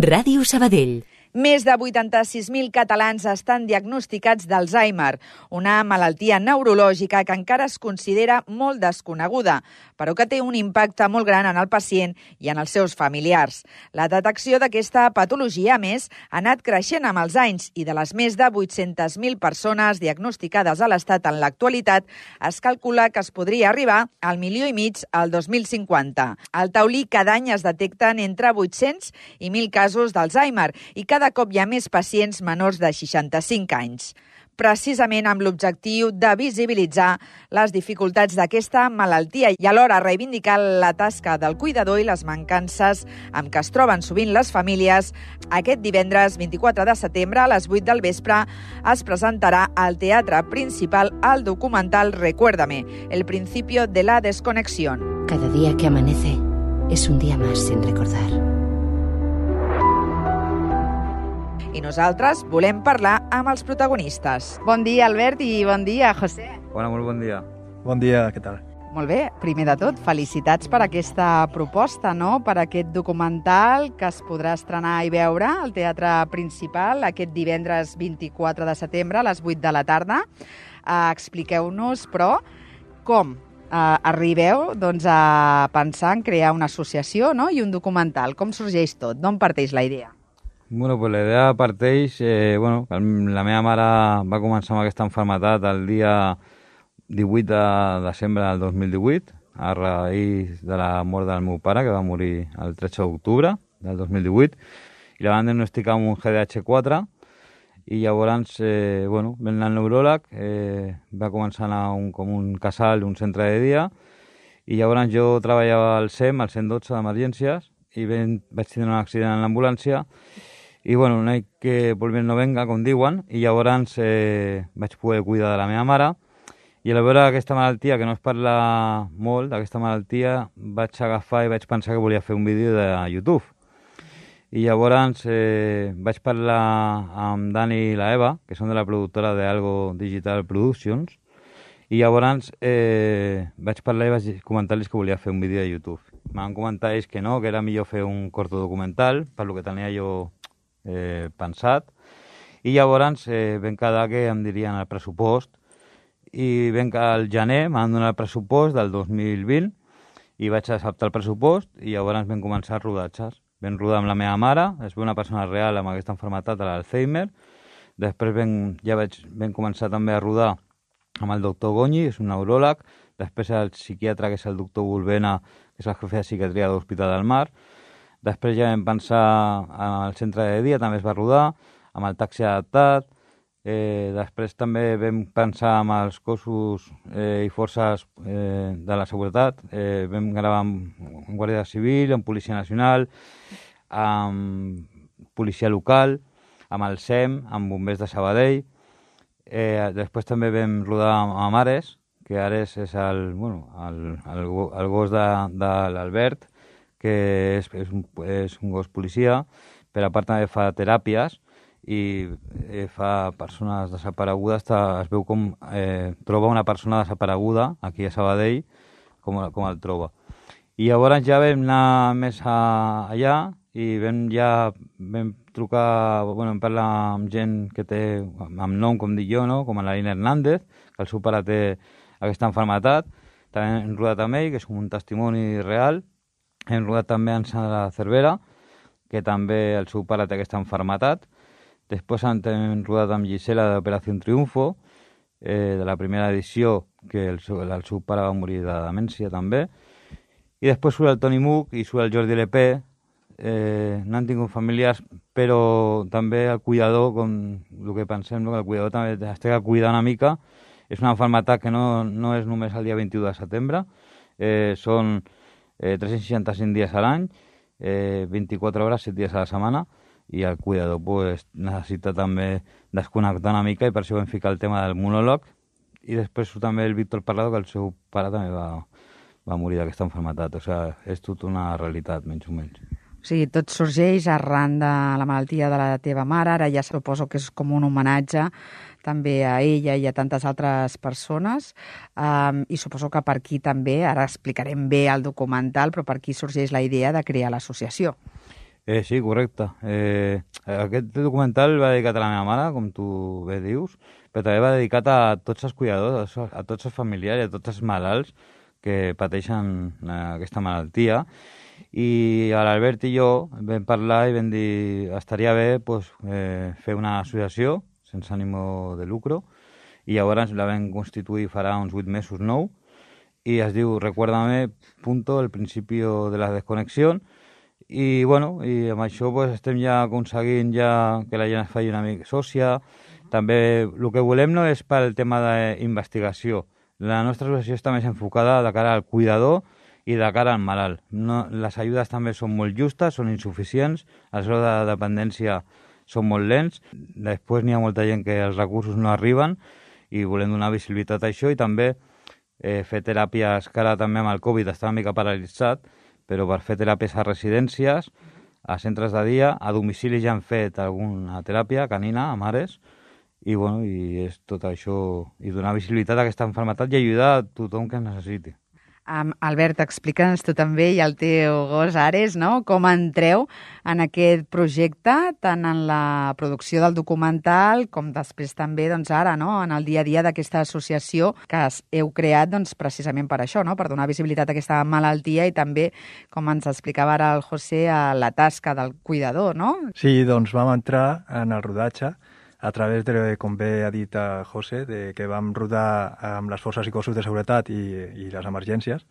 Ràdio Sabadell. Més de 86.000 catalans estan diagnosticats d'Alzheimer, una malaltia neurològica que encara es considera molt desconeguda, però que té un impacte molt gran en el pacient i en els seus familiars. La detecció d'aquesta patologia, a més, ha anat creixent amb els anys i de les més de 800.000 persones diagnosticades a l'Estat en l'actualitat, es calcula que es podria arribar al 1,5 milió al 2050. Al Taulí cada any es detecten entre 800 i 1.000 casos d'Alzheimer i cada cop hi ha més pacients menors de 65 anys. Precisament amb l'objectiu de visibilitzar les dificultats d'aquesta malaltia i alhora reivindicar la tasca del cuidador i les mancances amb què es troben sovint les famílies, aquest divendres 24 de setembre a les 8 del vespre es presentarà al Teatre Principal el documental Recuérdame, el principio de la desconexión. Cada día que amanece es un día más sin recordar. I nosaltres volem parlar amb els protagonistes. Bon dia, Albert, i bon dia, José. Hola, molt bon dia. Bon dia, què tal? Molt bé, primer de tot, felicitats per aquesta proposta, no? Per aquest documental que es podrà estrenar i veure al Teatre Principal aquest divendres 24 de setembre a les 8 de la tarda. Expliqueu-nos, però, com arribeu a pensar en crear una associació, no? I un documental. Com sorgeix tot? D'on parteix la idea? Bueno, pues la idea parteix... la meva mare va començar amb aquesta malaltia el dia 18 de desembre del 2018, a raïs de la mort del meu pare, que va morir el 13 d'octubre del 2018, i la van diagnosticar amb un GDH4, i llavors, ven el neuròleg, va començar a anar com un casal, un centre de dia, i llavors jo treballava al SEM, al 112 d'emergències, i vaig tenir un accident en l'ambulància, i no hay que volver no venga, com diuen, i llavors vaig poder cuidar de la meva mare, i al veure aquesta malaltia, que no es parla molt d'aquesta malaltia, vaig agafar i vaig pensar que volia fer un vídeo de YouTube. I llavors vaig parlar amb Dani i la Eva, que són de la productora d'Algo Digital Productions, i llavors vaig parlar i vaig comentar-los que volia fer un vídeo de YouTube. M'han comentat ells que no, que era millor fer un corto documental, per lo que tenia jo pensat, i llavors vam quedar que em dirien el pressupost, i vam que al gener m'han donat el pressupost del 2020 i vaig acceptar el pressupost i llavors vam començar rodatges. Vam rodar amb la meva mare, és una persona real amb aquesta malaltia de l'Alzheimer. Després vam començar també a rodar amb el doctor Goñi, és un neuròleg, després el psiquiatre, que és el doctor Bulbena, que és el jefe de psiquiatria de l'Hospital del Mar. Després ja vam pensar al centre de dia, també es va rodar, amb el taxi adaptat. Després també vam pensar amb els cossos i forces de la seguretat. Vam gravar amb Guàrdia Civil, amb Policia Nacional, amb Policia Local, amb el SEM, amb Bombers de Sabadell. Després també vam rodar amb Ares, que Ares és el gos de l'Albert, que és un gos policia, però a part també fa teràpies i fa persones desaparegudes, es veu com troba una persona desapareguda aquí a Sabadell, com el troba. I llavors ja vam anar més allà i vam trucar, vam parlar amb gent que té, amb nom, com dic jo, no? Com l'Aina Hernández, que el seu pare té aquesta malaltia. També hem rodat amb ell, que és un testimoni real. Hem rodat també amb Sandra Cervera, que també el seu pare té aquesta malaltia. Després hem rodat amb Gisela d'Operació Triunfo, de la primera edició, que el seu pare va morir de demència també. I després surt el Toni Muc i surt el Jordi LP. No han tingut familiars, però també el cuidador, com el que pensem, que el cuidador també es té que cuidar una mica. És una malaltia que no és només el dia 21 de setembre, són 365 dies a l'any, 24 hores, 7 dies a la setmana, i el cuidador necessita també desconnectar una mica, i per això vam ficar el tema del monòleg. I després també el Víctor Parlado, que el seu pare també va morir d'aquesta malaltia. O sigui, és tota una realitat, menys o menys. O sigui, tot sorgeix arran de la malaltia de la teva mare, ara ja suposo que és com un homenatge també a ella i a tantes altres persones, i suposo que per aquí també, ara explicarem bé el documental, però per aquí sorgeix la idea de crear l'associació. Sí, correcte. Aquest documental va dedicat a la meva mare, com tu bé dius, però també va dedicat a tots els cuidadors, a tots els familiars i a tots els malalts que pateixen aquesta malaltia. I l'Albert i jo vam parlar i vam dir estaria bé pues, fer una associació sense ànimo de lucro, i llavors la vam constituir farà uns 8 mesos, 9, i es diu Recuérdame, el principio de la desconexión. I, bueno, i amb això pues, estem ja aconseguint ja que la gent es faci una mica sòcia. També el que volem no és pel tema d'investigació. La nostra associació està més enfocada de cara al cuidador i de cara al malalt. No, les ajudes també són molt justes, són insuficients, els graus de dependència són molt lents, després n'hi ha molta gent que els recursos no arriben i volem donar visibilitat a això i també fer teràpies, que ara també amb el Covid està una mica paralitzat, però per fer teràpies a residències, a centres de dia, a domicili ja han fet alguna teràpia canina a mares, i, bueno, i és tot això, i donar visibilitat a aquesta malaltia i ajudar a tothom que necessiti. Albert, explica'ns tu també i el teu gos Ares, no? Com entreu en aquest projecte, tant en la producció del documental com després també doncs, ara, no? En el dia a dia d'aquesta associació que heu creat doncs, precisament per això, no? Per donar visibilitat a aquesta malaltia i també, com ens explicava ara el José, a la tasca del cuidador, no? Sí, doncs vam entrar en el rodatge a través de, com bé ha dit José, que vam rodar amb les forces i cossos de seguretat i les emergències.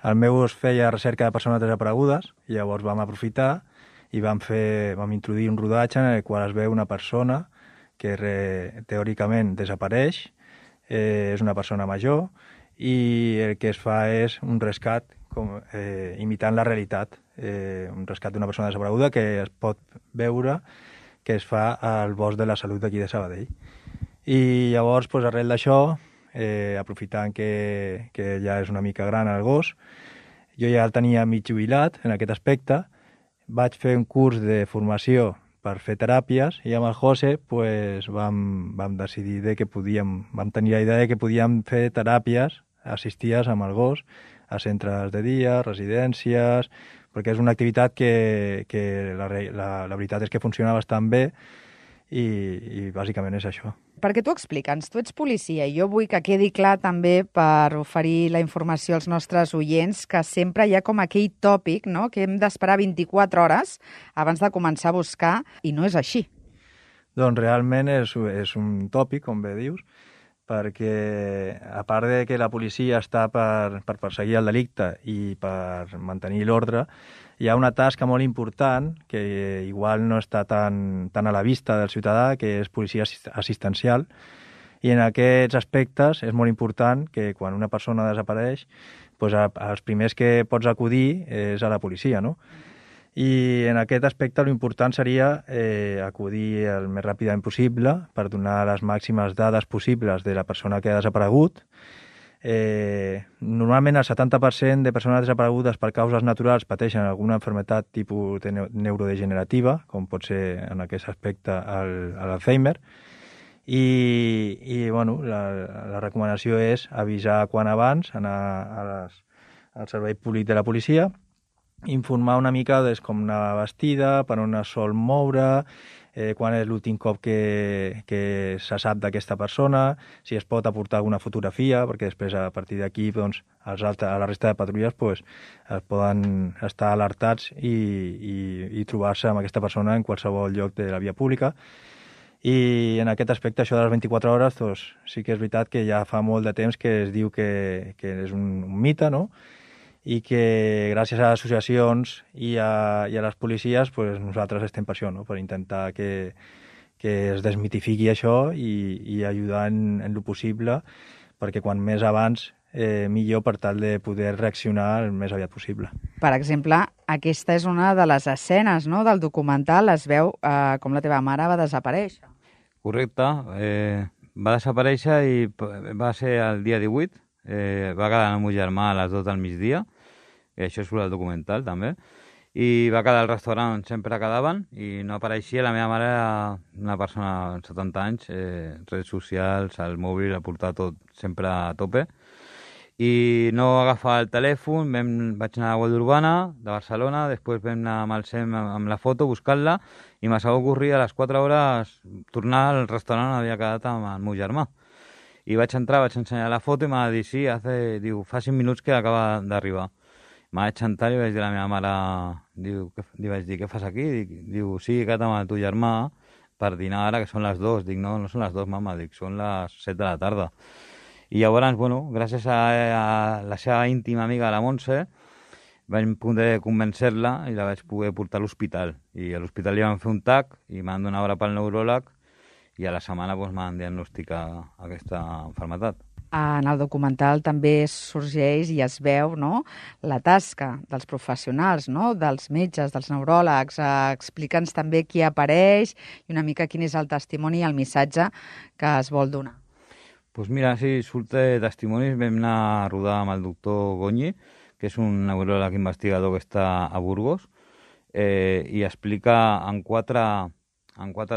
El meu gos feia recerca de persones desaparegudes i llavors vam aprofitar i vam introduir un rodatge en el qual es veu una persona que teòricament desapareix, és una persona major i el que es fa és un rescat imitant la realitat, un rescat d'una persona desapareguda que es pot veure que es fa al Bosc de la Salut d'aquí de Sabadell. I llavors, doncs, arrel d'això, aprofitant que ja és una mica gran el gos, jo ja el tenia mig jubilat en aquest aspecte, vaig fer un curs de formació per fer teràpies i amb el José pues, vam decidir vam tenir la idea de que podíem fer teràpies assistides amb el gos a centres de dia, residències, perquè és una activitat que la veritat és que funciona bastant bé i bàsicament és això. Perquè tu explica'ns, tu ets policia i jo vull que quedi clar també per oferir la informació als nostres oients que sempre hi ha com aquell tòpic, no?, que hem d'esperar 24 hores abans de començar a buscar i no és així. Doncs realment és un tòpic, com bé dius, perquè a part de que la policia està per perseguir el delicte i per mantenir l'ordre, hi ha una tasca molt important que igual no està tan a la vista del ciutadà, que és policia assistencial, i en aquests aspectes és molt important que quan una persona desapareix, doncs els primers que pots acudir és a la policia, no? I en aquest aspecte l'important seria acudir el més ràpidament possible per donar les màximes dades possibles de la persona que ha desaparegut. Normalment el 70% de persones desaparegudes per causes naturals pateixen alguna malaltia tipus neurodegenerativa, com pot ser en aquest aspecte l'Alzheimer, i bueno, la recomanació és avisar quan abans, anar al servei públic de la policia, informar una mica de com anar vestida, per on es sol moure, quan és l'últim cop que se sap d'aquesta persona, si es pot aportar alguna fotografia, perquè després a partir d'aquí doncs, a la resta de patrulles doncs, es poden estar alertats i trobar-se amb aquesta persona en qualsevol lloc de la via pública. I en aquest aspecte, això de les 24 hores, doncs, sí que és veritat que ja fa molt de temps que es diu que és un mite, no?, i que gràcies a les associacions i a les policies pues, nosaltres estem per això, no? Per intentar que es desmitifiqui això i ajudar en lo possible, perquè quan més abans millor per tal de poder reaccionar el més aviat possible. Per exemple, aquesta és una de les escenes, no?, del documental, es veu com la teva mare va desaparèixer. Correcte, va desaparèixer i va ser el dia 18, va quedar el meu germà a les 2 del migdia, i això surt al documental també, i va quedar al restaurant on sempre quedaven i no apareixia. La meva mare era una persona de 70 anys, redes socials, el mòbil, el portava tot sempre a tope, i no agafava el telèfon, vaig anar a la Guàrdia Urbana de Barcelona, després vam anar amb el SEM amb la foto, buscant-la, i me s'ha ocorrit a les 4 hores tornar al restaurant on havia quedat amb el meu germà. I vaig entrar, vaig ensenyar la foto i m'ha dit, sí, fa 5 minuts que acaba d'arribar. Vaig entrar i vaig dir a la meva mare, li vaig dir, què fas aquí? Diu, sí, he quedat amb el teu germà per dinar ara, que són les 2. Dic, no són les 2, mama, dic, són les 7 de la tarda. I llavors, bueno, gràcies a la seva íntima amiga, la Montse, vaig poder convèncer-la i la vaig poder portar a l'hospital. I a l'hospital li van fer un TAC i m'han donat hora pel neuròleg i a la setmana m'han diagnosticat aquesta malaltia. En el documental també sorgeix i es veu, no?, la tasca dels professionals, no?, dels metges, dels neuròlegs. Explica'ns també qui apareix i una mica quin és el testimoni i el missatge que es vol donar. Doncs mira, sí, surt testimonis. Vam anar a rodar amb el doctor Goñi, que és un neuròleg investigador que està a Burgos, i explica en quatre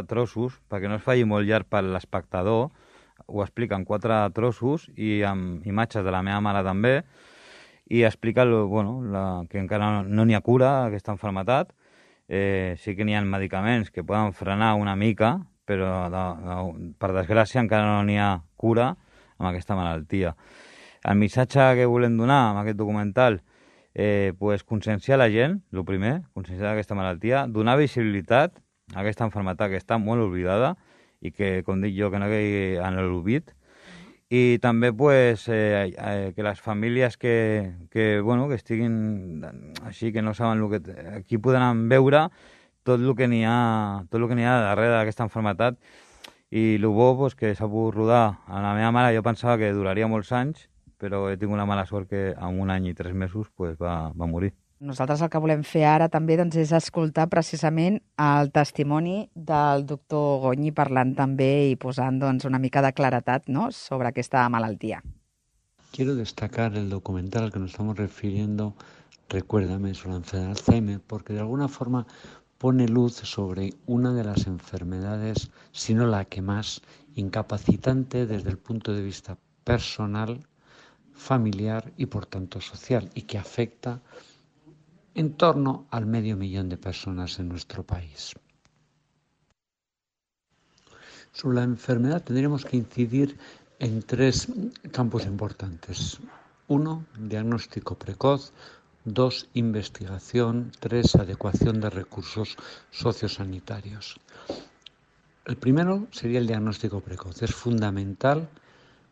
trossos, perquè no es faci molt llarg per l'espectador, ho explica en 4 trossos i amb imatges de la meva mare també, i explica que encara no n'hi ha cura a aquesta malaltia. Sí que n'hi ha medicaments que poden frenar una mica, però per desgràcia encara no n'hi ha cura amb aquesta malaltia. El missatge que volem donar amb aquest documental, conscienciar la gent, el primer, conscienciar aquesta malaltia, donar visibilitat a aquesta malaltia que està molt oblidada i que, com dic jo, que no caigui en l'oblit, i també que les famílies que estiguin així, que no saben el que... Aquí podran veure tot el que n'hi ha darrere d'aquesta malaltia, i el bo que s'ha pogut rodar. A la meva mare jo pensava que duraria molts anys, però he tingut la mala sort que en 1 any i 3 mesos va morir. Nosaltres el que volem fer ara també és escoltar precisament el testimoni del doctor Goñi parlant també i posant una mica de claretat, ¿no?, sobre aquesta malaltia. Quiero destacar el documental al que nos estamos refiriendo, Recuérdame, sobre la enfermedad de Alzheimer, porque de alguna forma pone luz sobre una de las enfermedades, si no la que más, incapacitante desde el punto de vista personal, familiar y por tanto social, y que afecta en torno al 500.000 de personas en nuestro país. Sobre la enfermedad tendríamos que incidir en 3 campos importantes. 1, diagnóstico precoz. 2, investigación. 3, adecuación de recursos sociosanitarios. El primero sería el diagnóstico precoz. Es fundamental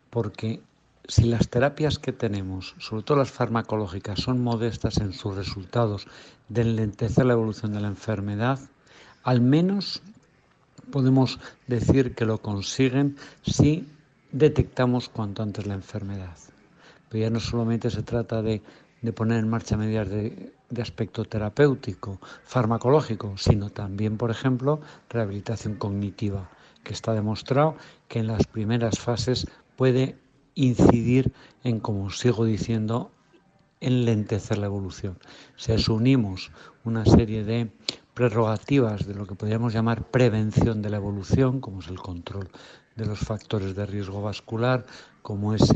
porque si las terapias que tenemos, sobre todo las farmacológicas, son modestas en sus resultados de enlentecer la evolución de la enfermedad, al menos podemos decir que lo consiguen si detectamos cuanto antes la enfermedad. Pero ya no solamente se trata de poner en marcha medidas de aspecto terapéutico, farmacológico, sino también, por ejemplo, rehabilitación cognitiva, que está demostrado que en las primeras fases puede incidir en, como sigo diciendo, enlentecer la evolución. Si a eso unimos una serie de prerrogativas de lo que podríamos llamar prevención de la evolución, como es el control de los factores de riesgo vascular, como es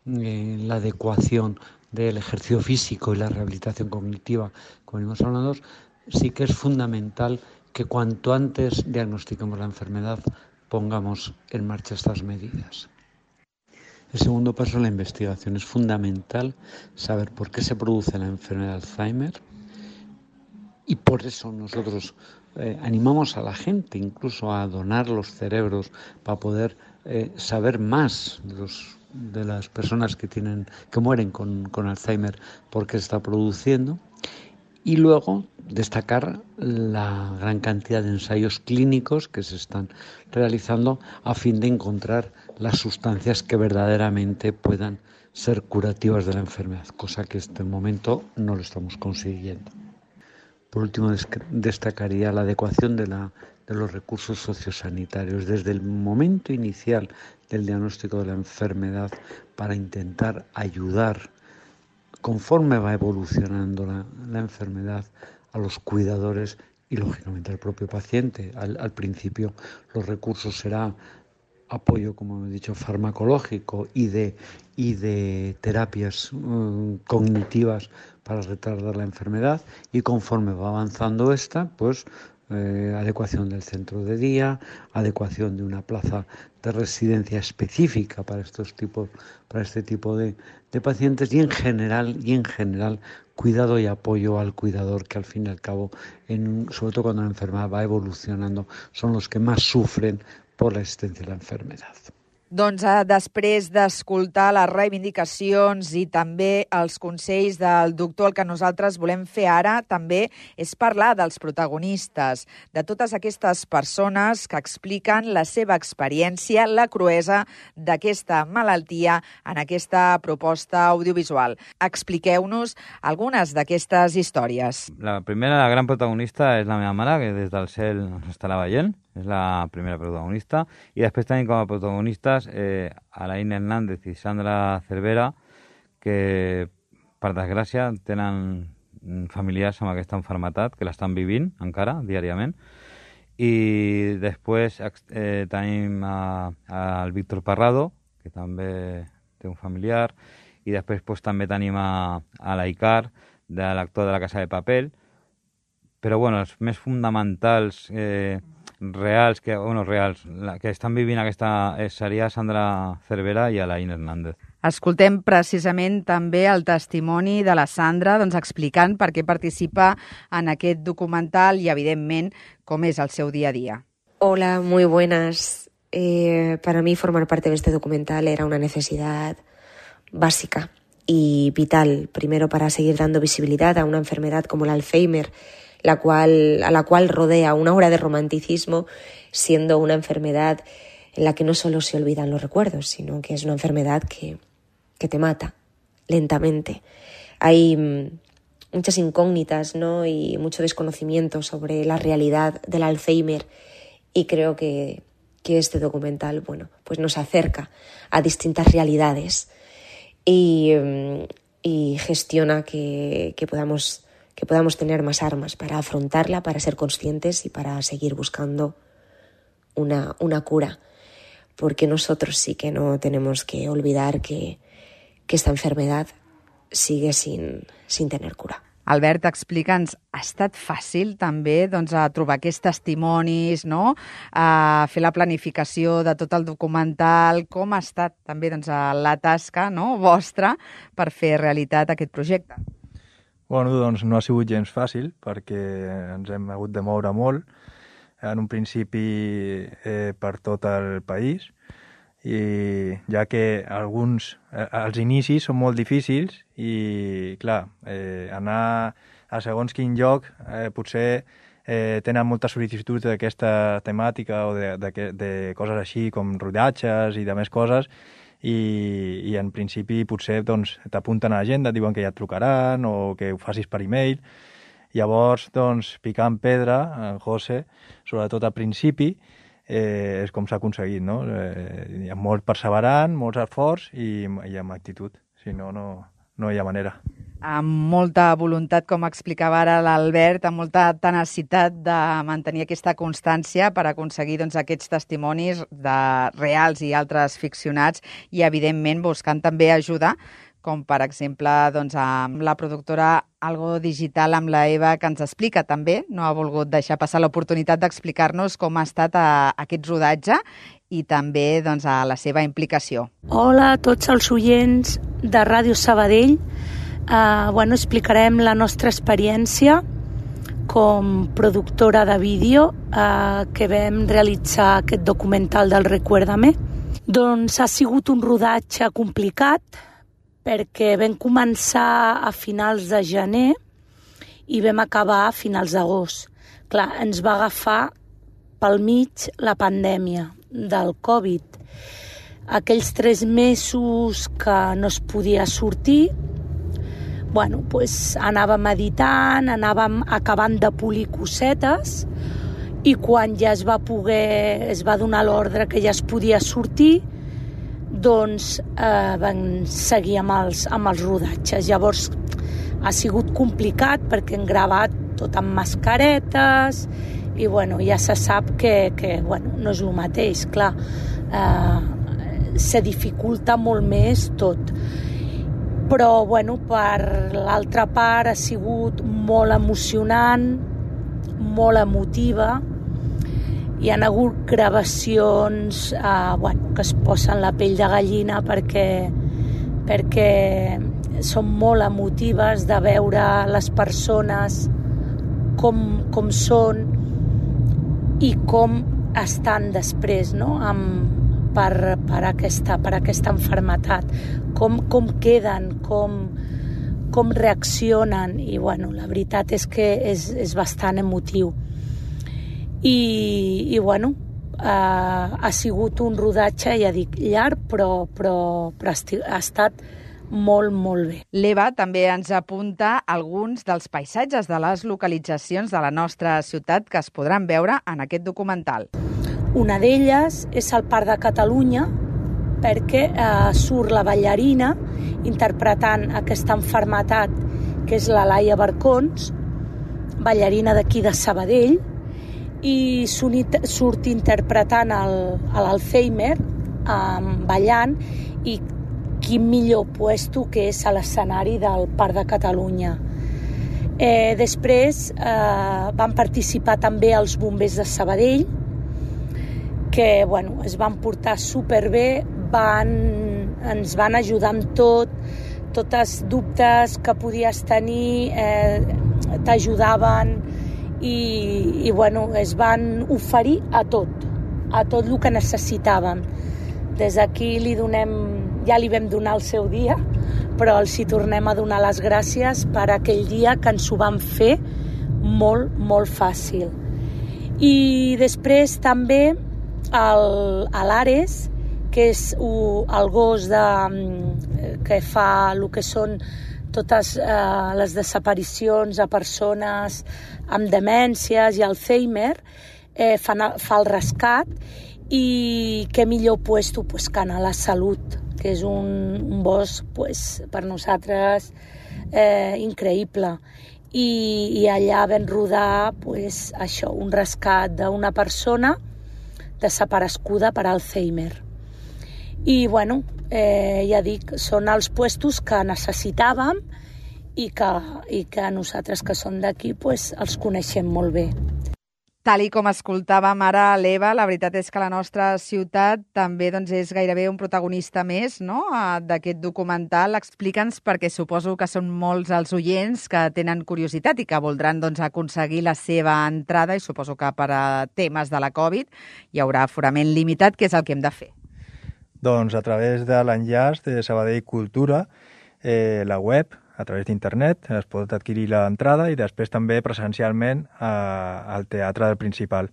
la adecuación del ejercicio físico y la rehabilitación cognitiva, como venimos hablando, sí que es fundamental que cuanto antes diagnostiquemos la enfermedad, pongamos en marcha estas medidas. El segundo paso es la investigación. Es fundamental saber por qué se produce la enfermedad de Alzheimer, y por eso nosotros animamos a la gente incluso a donar los cerebros para poder saber más de las personas que mueren con Alzheimer, por qué se está produciendo. Y luego destacar la gran cantidad de ensayos clínicos que se están realizando a fin de encontrar las sustancias que verdaderamente puedan ser curativas de la enfermedad, cosa que en este momento no lo estamos consiguiendo. Por último, destacaría la adecuación de los recursos sociosanitarios desde el momento inicial del diagnóstico de la enfermedad, para intentar ayudar conforme va evolucionando la enfermedad a los cuidadores y lógicamente al propio paciente. Al principio los recursos será apoyo, como he dicho, farmacológico y de terapias cognitivas para retardar la enfermedad, y conforme va avanzando esta, pues adecuación del centro de día, adecuación de una plaza de residencia específica para este tipo de pacientes, y en general cuidado y apoyo al cuidador, que al fin y al cabo, sobre todo cuando la enfermedad va evolucionando, son los que más sufren por la existencia de la enfermedad. Doncs després d'escoltar les reivindicacions i també els consells del doctor, el que nosaltres volem fer ara també és parlar dels protagonistes, de totes aquestes persones que expliquen la seva experiència, la cruesa d'aquesta malaltia en aquesta proposta audiovisual. Expliqueu-nos algunes d'aquestes històries. La primera, la gran protagonista, és la meva mare, que des del cel ens estarà veient. És la primera protagonista. I després tenim com a protagonistes Alain Hernández i Sandra Cervera, que, per desgràcia, tenen familiars amb aquesta malaltia, que l'estan vivint encara, diàriament. I després tenim el Víctor Parrado, que també té un familiar. I després també tenim a l'Aicar, de l'actor de La Casa de Papel. Però els més fonamentals reals que estan vivint aquesta seria Sandra Cervera i Alain Hernández. Escoltem precisament també el testimoni de la Sandra, explicant per què participa en aquest documental i, evidentment, com és el seu dia a día. Hola, muy buenas. Para mí formar parte de este documental era una necesidad básica y vital, primero para seguir dando visibilidad a una enfermedad como el Alzheimer, a la cual rodea una aura de romanticismo, siendo una enfermedad en la que no solo se olvidan los recuerdos, sino que es una enfermedad que te mata lentamente. Hay muchas incógnitas, ¿no? Y mucho desconocimiento sobre la realidad del Alzheimer, y creo que este documental, pues nos acerca a distintas realidades y gestiona que podamos tener más armas para afrontarla, para ser conscientes y para seguir buscando una cura. Porque nosotros sí que no tenemos que olvidar que esta enfermedad sigue sin tener cura. Albert, explica'ns, ha estat fàcil també trobar aquests testimonis, no? A fer la planificació de tot el documental. Com ha estat també la tasca, no, vostra per fer realitat aquest projecte? No ha sigut gens fàcil, perquè ens hem hagut de moure molt, en un principi per tot el país, i ja que els inicis són molt difícils i, clar, anar a segons quin lloc potser tenen moltes sol·licituds d'aquesta temàtica o de coses així com rodatges i de més coses, i en principi potser t'apunten a l'agenda, et diuen que ja et trucaran o que ho facis per e-mail. Llavors, picant pedra, en José, sobretot al principi, és com s'ha aconseguit, no? Hi ha molt perseverant, molts esforç i amb actitud, si no, no hi ha manera. Amb molta voluntat, com explicava ara l'Albert, amb molta tenacitat de mantenir aquesta constància per aconseguir aquests testimonis reals i altres ficcionats, i evidentment buscant també ajudar, com per exemple amb la productora Algo Digital, amb la Eva, que ens explica també, no ha volgut deixar passar l'oportunitat d'explicar-nos com ha estat aquest rodatge i també a la seva implicació. Hola a tots els oients de Ràdio Sabadell. Explicarem la nostra experiència com productora de vídeo que vam realitzar aquest documental del Recuérdame. Ha sigut un rodatge complicat, perquè vam començar a finals de gener i vam acabar a finals d'agost. Clar, ens va agafar pel mig la pandèmia del Covid. Aquells 3 mesos que no es podia sortir, anàvem editant, anàvem acabant de polir cosetes, i quan ja es va donar l'ordre que ja es podia sortir, vam seguir amb els rodatges. Llavors ha sigut complicat perquè hem gravat tot amb mascaretes i ja se sap que no és el mateix. Clar, se dificulta molt més tot. Però, bueno, per l'altra part ha sigut molt emocionant, molt emotiva. Hi ha hagut gravacions que es posen la pell de gallina perquè són molt emotives de veure les persones com són i com estan després, no? Per aquesta malaltia, com queden, com reaccionen, i bueno, la veritat és que és bastant emotiu. I bueno, ha sigut un rodatge, ja dic, llarg, però ha estat molt, molt bé. L'Eva també ens apunta alguns dels paisatges de les localitzacions de la nostra ciutat que es podran veure en aquest documental. Una d'elles és el Parc de Catalunya, perquè surt la ballarina interpretant aquesta malaltia, que és la Laia Barcons, ballarina d'aquí de Sabadell, i surt interpretant l'Alzheimer, ballant, i quin millor puesto que és a l'escenari del Parc de Catalunya. Després van participar també els bombers de Sabadell, que bueno, es van portar superbé, ens van ajudar amb tots els dubtes que podies tenir, t'ajudaven i bueno, es van oferir a tot el que necessitàvem. Des d'aquí ja li vam donar el seu dia, però els hi tornem a donar les gràcies per aquell dia que ens ho van fer molt, molt fàcil. I després també l'Ares, que és el gos que fa el que són totes les desaparicions a persones amb demències i Alzheimer, fa el rescat, i què millor puesto que anar a la Salut, que és un bosc per nosaltres increïble. I allà vam rodar això, un rescat d'una persona desapareguda per Alzheimer. I bueno, ja dic, són els puestos que necessitàvem i que nosaltres que som d'aquí els coneixem molt bé. Tal i com escoltàvem ara l'Eva, la veritat és que la nostra ciutat també és gairebé un protagonista més, no?, d'aquest documental. Explica'ns, perquè suposo que són molts els oients que tenen curiositat i que voldran aconseguir la seva entrada, i suposo que per a temes de la Covid hi haurà aforament limitat. Què és el que hem de fer? Doncs a través de l'enllaç de Sabadell Cultura, la web, a través d'internet, es pot adquirir l'entrada, i després també presencialment al Teatre del Principal.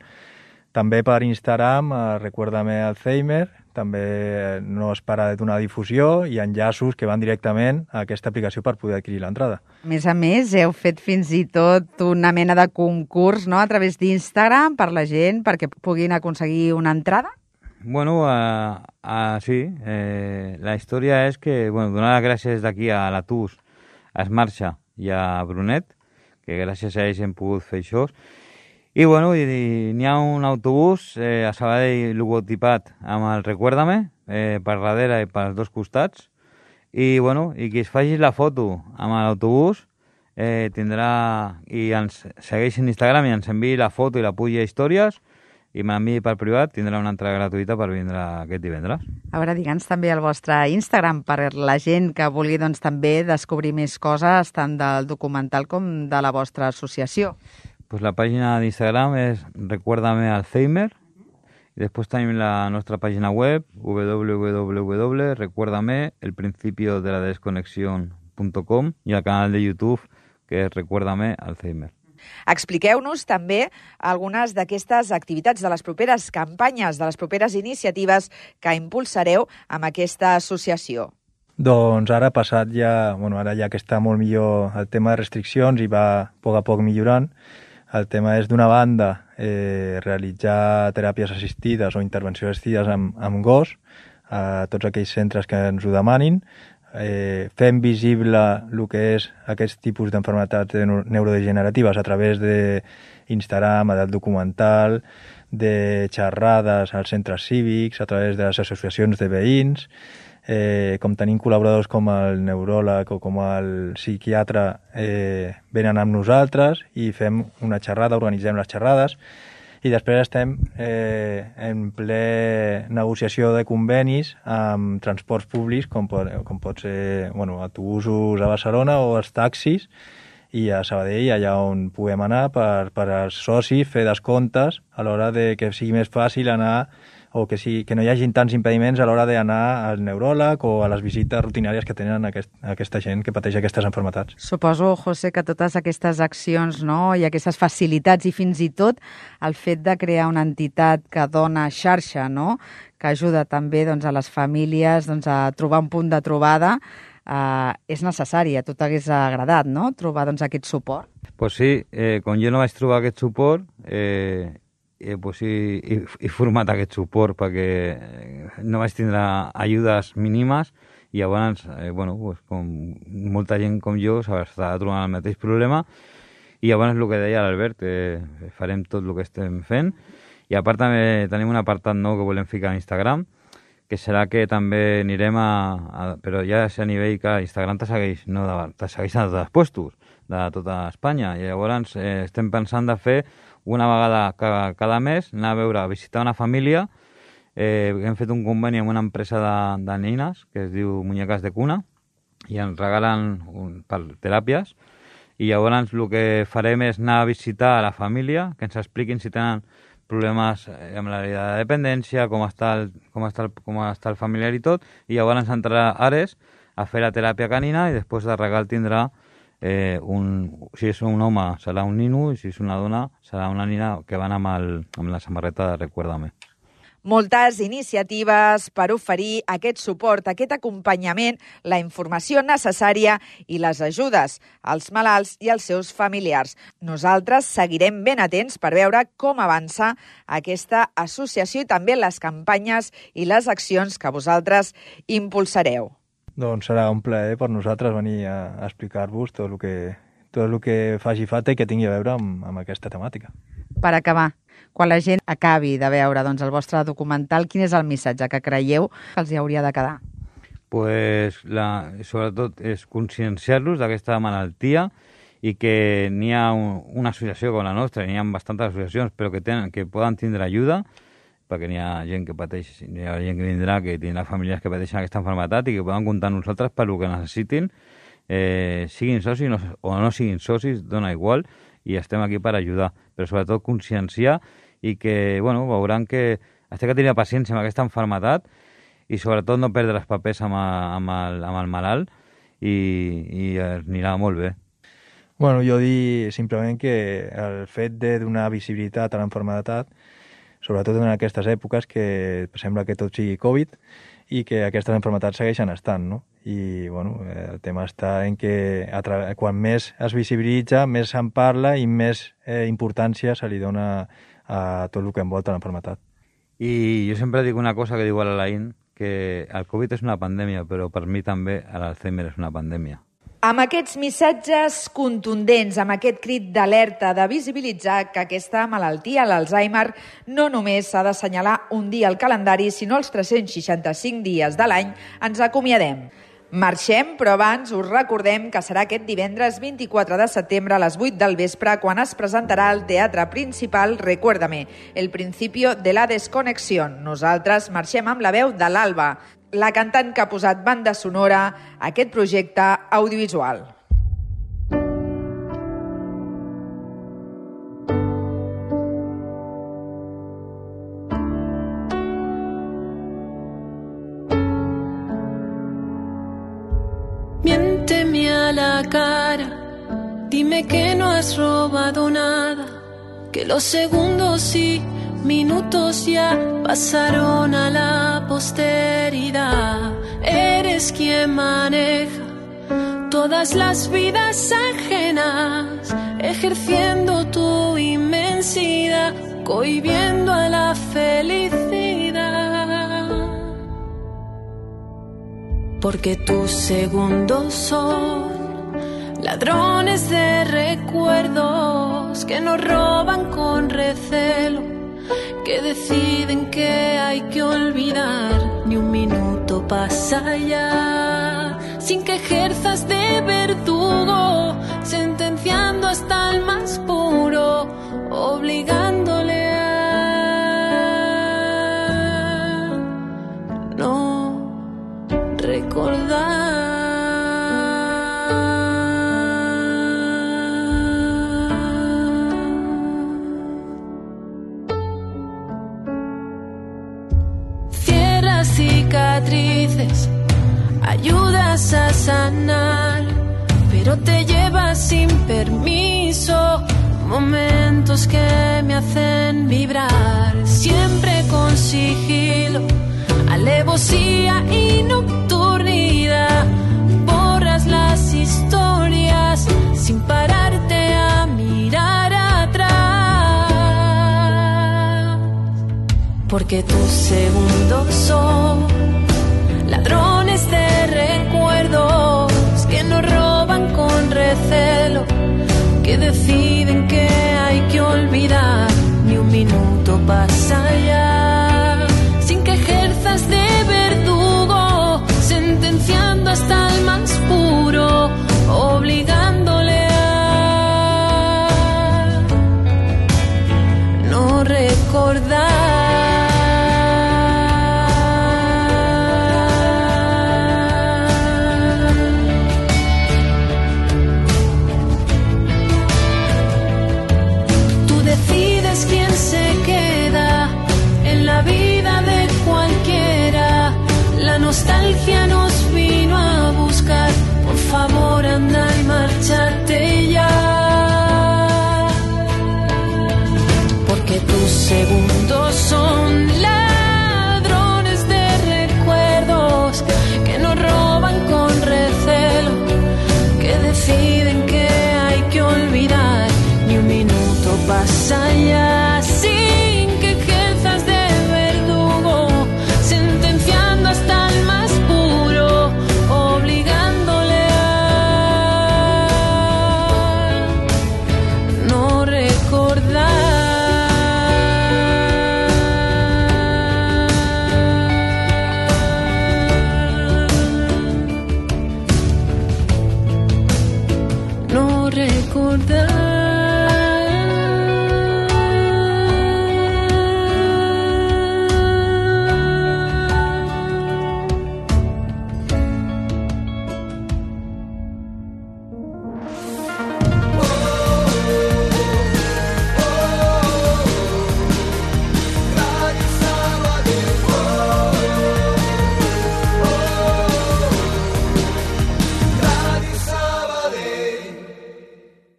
També per Instagram, Recuérdame Alzheimer, també no es para de donar difusió, i enllaços que van directament a aquesta aplicació per poder adquirir l'entrada. A més, heu fet fins i tot una mena de concurs, no?, a través d'Instagram per la gent perquè puguin aconseguir una entrada? Bueno, sí. La història és que, donar les gràcies d'aquí a la TUS, a Esmarxa i a Brunet, que gràcies a ells hem pogut fer això. I n'hi ha un autobús a Sabadell logotipat amb el Recuérdame per darrere i pels dos costats, i qui es faci la foto amb l'autobús tindrà, i ens segueix en Instagram i ens enviï la foto i la puja a històries, i m'enviï per privat, tindrà una entrada gratuïta per vindre aquest divendres. A veure, digue'ns també el vostre Instagram per la gent que vulgui també descobrir més coses tant del documental com de la vostra associació. Pues la pàgina d'Instagram és Recuérdame Alzheimer, i després tenim la nostra pàgina web www.recuerdameelprincipiodeladesconexion.com i el canal de YouTube, que és Recuérdame Alzheimer. Expliqueu-nos també algunes d'aquestes activitats, de les properes campanyes, de les properes iniciatives que impulsareu amb aquesta associació. Doncs ara passat ja, ara ja que està molt millor el tema de restriccions i va a poc millorant, el tema és d'una banda realitzar teràpies assistides o intervencions assistides amb gos a tots aquells centres que ens ho demanin, fem visible el que és aquest tipus d'enfermetats neurodegeneratives a través d'Instagram, edat documental, de xerrades als centres cívics, a través de les associacions de veïns, com tenim col·laboradors com el neuròleg o com el psiquiatre venen amb nosaltres i fem una xerrada, organitzem les xerrades i després estem en ple negociació de convenis amb transports públics com pot ser autobusos a Barcelona o els taxis i a Sabadell, allà on puguem anar per als socis, fer descomptes a l'hora de que sigui més fàcil anar o que no hi hagin tants impediments a l'hora d'anar al neuròleg o a les visites rutinàries que tenen aquesta gent que pateix aquestes malalties. Suposo, José, que totes aquestes accions, no, i aquestes facilitats i fins i tot el fet de crear una entitat que dona xarxa, no, que ajuda també a les famílies a trobar un punt de trobada, és necessari. A tu t'hagués agradat, no?, trobar aquest suport? Pues sí, quan jo no vaig trobar aquest suport, pues he format aquest suport perquè no vaig tindre ajudes mínimes i llavors, pues, com molta gent com jo s'estava trobant el mateix problema i llavors el que deia l'Albert, farem tot el que estem fent i a part també tenim un apartat nou que volem ficar a Instagram, que serà que també anirem però ja a nivell que Instagram te segueix a tots els puestos de tota Espanya i llavors estem pensant de fer una vegada cada mes anar a visitar una família. Hem fet un conveni amb una empresa de nines que es diu Muñecas de Cuna i ens regalen per teràpies i llavors el que farem és anar a visitar a la família, que ens expliquin si tenen problemes amb la dependència, com està el familiar i tot, i llavors entrarà Ares a fer la teràpia canina i després de regal tindrà si és un home serà un nino i si és una dona serà una nina que van amb la samarreta de Recuérdame. Moltes iniciatives per oferir aquest suport, aquest acompanyament, la informació necessària i les ajudes als malalts i als seus familiars. Nosaltres seguirem ben atents per veure com avança aquesta associació i també les campanyes i les accions que vosaltres impulsareu. Doncs serà un plaer per nosaltres venir a explicar-vos tot el que faci falta i que tingui a veure amb aquesta temàtica. Per acabar, quan la gent acabi de veure el vostre documental, quin és el missatge que creieu que els hi hauria de quedar? Pues, sobretot és conscienciar-los d'aquesta malaltia i que n'hi ha una associació com la nostra, n'hi ha bastantes associacions, però que poden tindre ajuda, perquè n'hi ha gent que pateix, n'hi ha gent que vindrà, que tindrà famílies que pateixen aquesta malaltia i que poden comptar amb nosaltres per el que necessitin, siguin socis o no siguin socis, dona igual, i estem aquí per ajudar, però sobretot conscienciar i que, veuran que has de tenir paciència amb aquesta malaltia i sobretot no perdre els papers amb el malalt i anirà molt bé. Jo dic simplement que el fet de donar visibilitat a la malaltia, sobretot en aquestes èpoques que sembla que tot sigui Covid i que aquestes malalties segueixen estant, no? I el tema està en que quan més es visibilitza, més se'n parla i més importància se li dona a tot el que envolta la malaltia. I jo sempre dic una cosa que diu l'Alain, que el Covid és una pandèmia, però per mi també l'Alzheimer és una pandèmia. Amb aquests missatges contundents, amb aquest crit d'alerta de visibilitzar que aquesta malaltia, l'Alzheimer, no només s'ha d'assenyalar un dia al calendari, sinó els 365 dies de l'any, ens acomiadem. Marxem, però abans us recordem que serà aquest divendres 24 de setembre a les 8 del vespre quan es presentarà al Teatre Principal Recuérdame, el principio de la desconexión. Nosaltres marxem amb la veu de l'Alba, la cantant que ha posat banda sonora a aquest projecte audiovisual. Miénteme a la cara, dime que no has robado nada, que los segundos y minutos ya pasaron a la posteridad. Eres quien maneja todas las vidas ajenas, ejerciendo tu inmensidad, cohibiendo a la felicidad. porque tus segundos son ladrones de recuerdos que nos roban con recelo, que deciden que hay que olvidar. Ni un minuto pasa ya sin que ejerzas de verdugo, sentenciando hasta el más puro, obligándole a no recordar. Cicatrices, ayudas a sanar, pero te llevas sin permiso momentos que me hacen vibrar, siempre con sigilo, alevosía y nocturnidad. Borras las historias sin pararte a mirar atrás, porque tus segundos son ladrones de recuerdos que nos roban con recelo, que deciden que hay que olvidar. Ni un minuto pasa ya sin que ejerzas de verdugo, sentenciando hasta el más puro, obligándole a no recordar.